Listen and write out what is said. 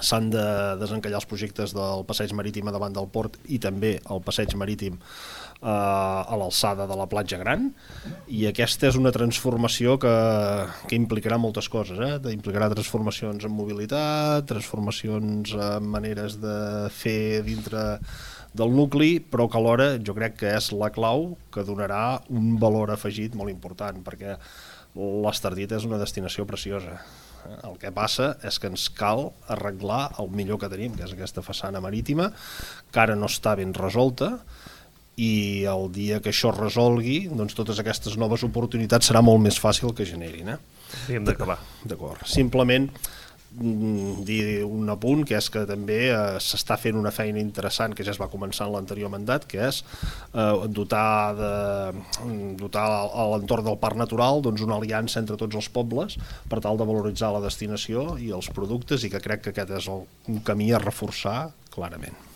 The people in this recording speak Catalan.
s'han de desencallar els projectes del passeig marítim a davant del port i també el passeig marítim a l'alçada de la platja gran, i aquesta és una transformació que implicarà moltes coses, implicarà transformacions en mobilitat, transformacions en maneres de fer dintre del nucli, però que alhora jo crec que és la clau que donarà un valor afegit molt important, perquè l'Estartit és una destinació preciosa. El que passa és que ens cal arreglar el millor que tenim, que és aquesta façana marítima, que ara no està ben resolta, i el dia que això es resolgui, doncs totes aquestes noves oportunitats serà molt més fàcil que generin. Hem d'acabar. D'acord. Simplement dir un apunt, que és que també s'està fent una feina interessant que ja es va començar en l'anterior mandat, que és dotar a l'entorn del parc natural una aliança entre tots els pobles per tal de valoritzar la destinació i els productes, i que crec que aquest és un camí a reforçar clarament.